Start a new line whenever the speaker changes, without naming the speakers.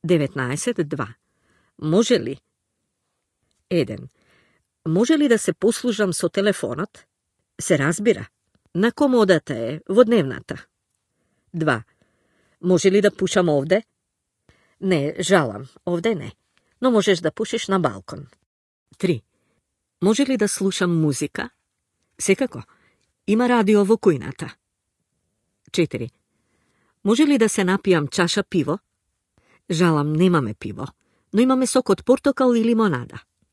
19.2. Може ли? 1. Може ли да се послужам со телефонот? Се разбира. На комодата е во дневната. 2. Може ли да пушам овде? Не, жалам, овде не. Но можеш да пушиш на балкон. 3. Може ли да слушам музика? Секако. Има радио во кујната. 4. Може ли да се напијам чаша пиво? Жалам, немаме пиво, но имаме сок од портокал и лимонада.